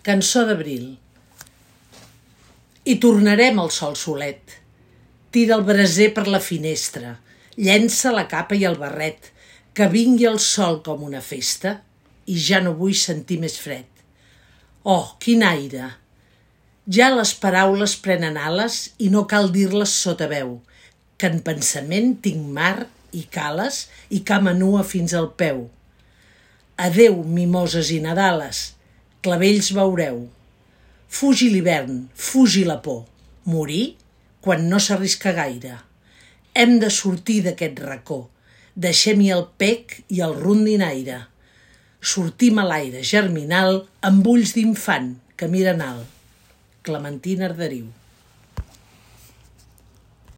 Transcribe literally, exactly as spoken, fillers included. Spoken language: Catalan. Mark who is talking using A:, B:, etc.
A: Cançó d'abril. I tornarem al sol solet. Tira el braser per la finestra, llença la capa i el barret, que vingui el sol com una festa i ja no vull sentir més fred. Oh, quin aire! Ja les paraules prenen ales i no cal dir-les sota veu, que en pensament tinc mar i cales i cama nua fins al peu. Adeu, mimoses i nadales, clavells veureu. Fugi l'hivern, fugi la por, morir quan no s'arrisca gaire. Hem de sortir d'aquest racó, deixem-hi el pec i el rondinaire. Sortim a l'aire germinal amb ulls d'infant que miren alt. Clementina Arderiu.